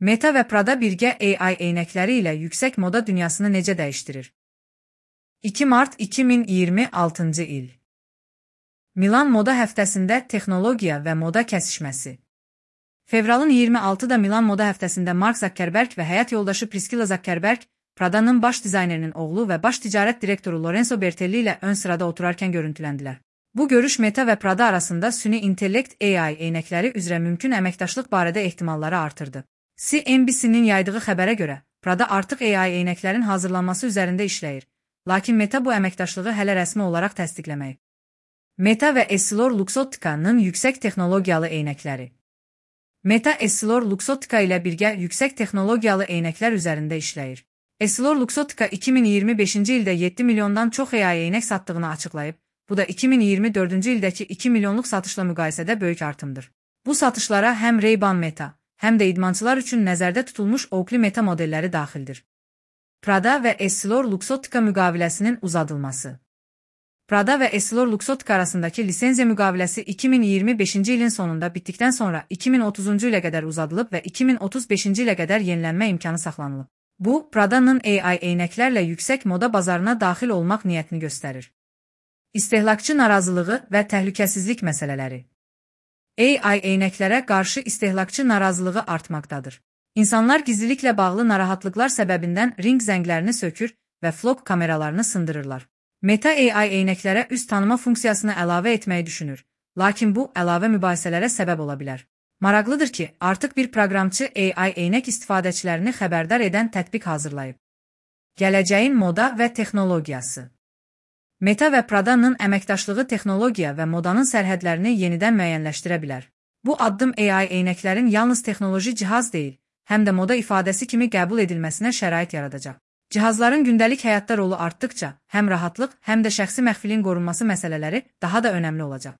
Meta və Prada birgə AI eynəkləri ilə yüksək moda dünyasını necə dəyişdirir? 2 mart 2026-cı il. Milan Moda Həftəsində texnologiya və moda kəsişməsi. Fevralın 26-da Milan Moda Həftəsində Mark Zuckerberg və həyat yoldaşı Priscilla Zuckerberg, Prada'nın baş dizaynerinin oğlu və baş ticarət direktoru Lorenzo Bertelli ilə ön sırada oturarkən görüntüləndilər. Bu görüş Meta və Prada arasında süni intellekt AI eynəkləri üzrə mümkün əməkdaşlıq barədə ehtimalları artırdı. CNBC-nin yaydığı xəbərə görə, Prada artıq AI eynəklərin hazırlanması üzərində işləyir, lakin Meta bu əməkdaşlığı hələ rəsmi olaraq təsdiqləməyib. Meta və EssilorLuxottica'nın yüksək texnologiyalı eynəkləri. Meta EssilorLuxottica ilə birgə yüksək texnologiyalı eynəklər üzərində işləyir. EssilorLuxottica 2025-ci ildə 7 milyondan çox AI eynək satdığını açıqlayıb, bu da 2024-cü ildəki 2 milyonluq satışla müqayisədə böyük artımdır. Bu satışlara həm Ray-Ban Meta, həm də idmançılar üçün nəzərdə tutulmuş Oakley Meta modelləri daxildir. Prada və EssilorLuxottica müqaviləsinin uzadılması. Prada və EssilorLuxottica arasındakı lisenziya müqaviləsi 2025-ci ilin sonunda bitdikdən sonra 2030-cu ilə qədər uzadılıb və 2035-ci ilə qədər yenilənmə imkanı saxlanılıb. Bu, Prada'nın AI eynəklərlə yüksək moda bazarına daxil olmaq niyyətini göstərir. İstehlakçı narazılığı və təhlükəsizlik məsələləri. AI eynəklərə qarşı istehlakçı narazılığı artmaqdadır. İnsanlar gizliliklə bağlı narahatlıqlar səbəbindən ring zənglərini sökür və vlog kameralarını sındırırlar. Meta AI eynəklərə üz tanıma funksiyasını əlavə etməyi düşünür, lakin bu əlavə mübahisələrə səbəb ola bilər. Maraqlıdır ki, artıq bir proqramçı AI eynək istifadəçilərini xəbərdar edən tətbiq hazırlayıb. Gələcəyin moda və texnologiyası. Meta və Prada'nın əməkdaşlığı texnologiya və modanın sərhədlərini yenidən müəyyənləşdirə bilər. Bu addım AI eynəklərin yalnız texnoloji cihaz deyil, həm də moda ifadəsi kimi qəbul edilməsinə şərait yaradacaq. Cihazların gündəlik həyatda rolu artdıkca, həm rahatlıq, həm də şəxsi məxfiliyin qorunması məsələləri daha da önəmli olacaq.